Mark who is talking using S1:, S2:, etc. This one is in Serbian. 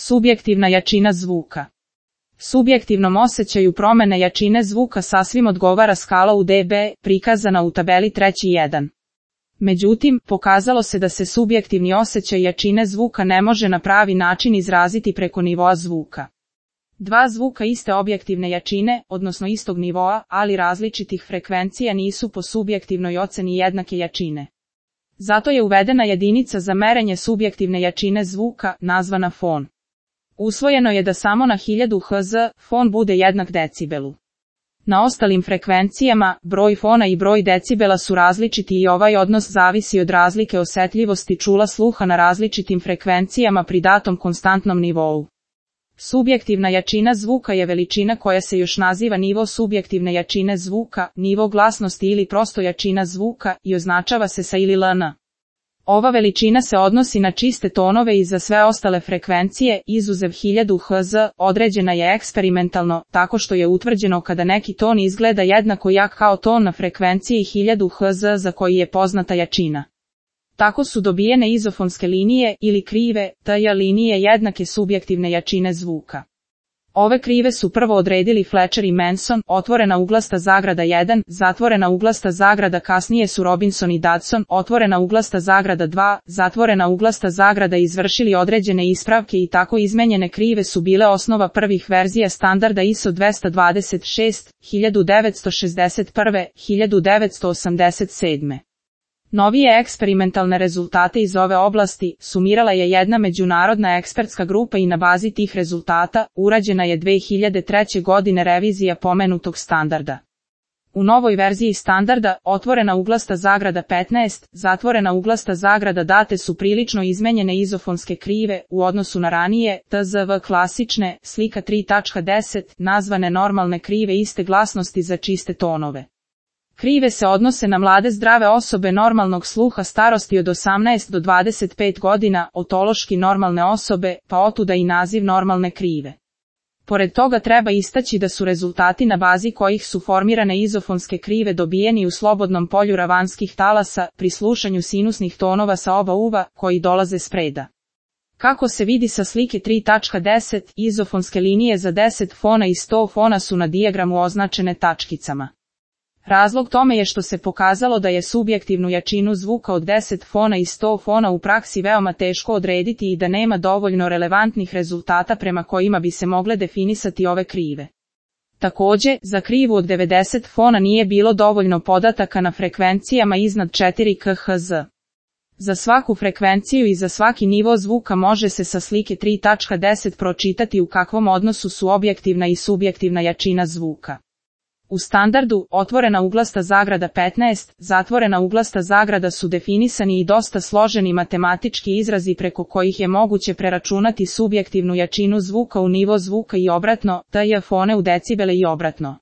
S1: Subjektivna jačina zvuka. Subjektivnom osjećaju promene jačine zvuka sasvim odgovara skala u dB, prikazana u tabeli 3.1. Međutim, pokazalo se da se subjektivni osjećaj jačine zvuka ne može na pravi način izraziti preko nivoa zvuka. Dva zvuka iste objektivne jačine, odnosno istog nivoa, ali različitih frekvencija nisu po subjektivnoj oceni jednake jačine. Zato je uvedena jedinica za merenje subjektivne jačine zvuka, nazvana fon. Usvojeno je da samo na 1000 Hz fon bude jednak decibelu. Na ostalim frekvencijama, broj fona i broj decibela su različiti i ovaj odnos zavisi od razlike osetljivosti čula sluha na različitim frekvencijama pri datom konstantnom nivou. Subjektivna jačina zvuka je veličina koja se još naziva nivo subjektivne jačine zvuka, nivo glasnosti ili prosto jačina zvuka i označava se sa ili LN. Ova veličina se odnosi na čiste tonove i za sve ostale frekvencije, izuzev 1000 Hz, određena je eksperimentalno, tako što je utvrđeno kada neki ton izgleda jednako jak kao ton na frekvenciji 1000 Hz za koji je poznata jačina. Tako su dobijene izofonske linije ili krive, TJ linije jednake subjektivne jačine zvuka. Ove krive su prvo odredili Fletcher i Manson, otvorena uglasta zagrada 1, zatvorena uglasta zagrada, kasnije su Robinson i Dodson, otvorena uglasta zagrada 2, zatvorena uglasta zagrada, izvršili određene ispravke i tako izmenjene krive su bile osnova prvih verzija standarda ISO 226, 1961, 1987. Novije eksperimentalne rezultate iz ove oblasti sumirala je jedna međunarodna ekspertska grupa i na bazi tih rezultata urađena je 2003. godine revizija pomenutog standarda. U novoj verziji standarda, otvorena uglasta zagrada 15, zatvorena uglasta zagrada date su prilično izmenjene izofonske krive u odnosu na ranije, TZV klasične, slika 3.10, nazvane normalne krive iste glasnosti za čiste tonove. Krive se odnose na mlade zdrave osobe normalnog sluha starosti od 18 do 25 godina, otološki normalne osobe, pa otuda i naziv normalne krive. Pored toga treba istaći da su rezultati na bazi kojih su formirane izofonske krive dobijeni u slobodnom polju ravanskih talasa pri slušanju sinusnih tonova sa oba uva koji dolaze s preda. Kako se vidi sa slike 3.10, izofonske linije za 10 fona i 100 fona su na dijagramu označene tačkicama. Razlog tome je što se pokazalo da je subjektivnu jačinu zvuka od 10 fona i 100 fona u praksi veoma teško odrediti i da nema dovoljno relevantnih rezultata prema kojima bi se mogle definisati ove krive. Takođe, za krivu od 90 fona nije bilo dovoljno podataka na frekvencijama iznad 4 kHz. Za svaku frekvenciju i za svaki nivo zvuka može se sa slike 3.10 pročitati u kakvom odnosu su objektivna i subjektivna jačina zvuka. U standardu, otvorena uglasta zagrada 15, zatvorena uglasta zagrada su definisani i dosta složeni matematički izrazi preko kojih je moguće preračunati subjektivnu jačinu zvuka u nivo zvuka i obratno, TJ fone u decibele i obratno.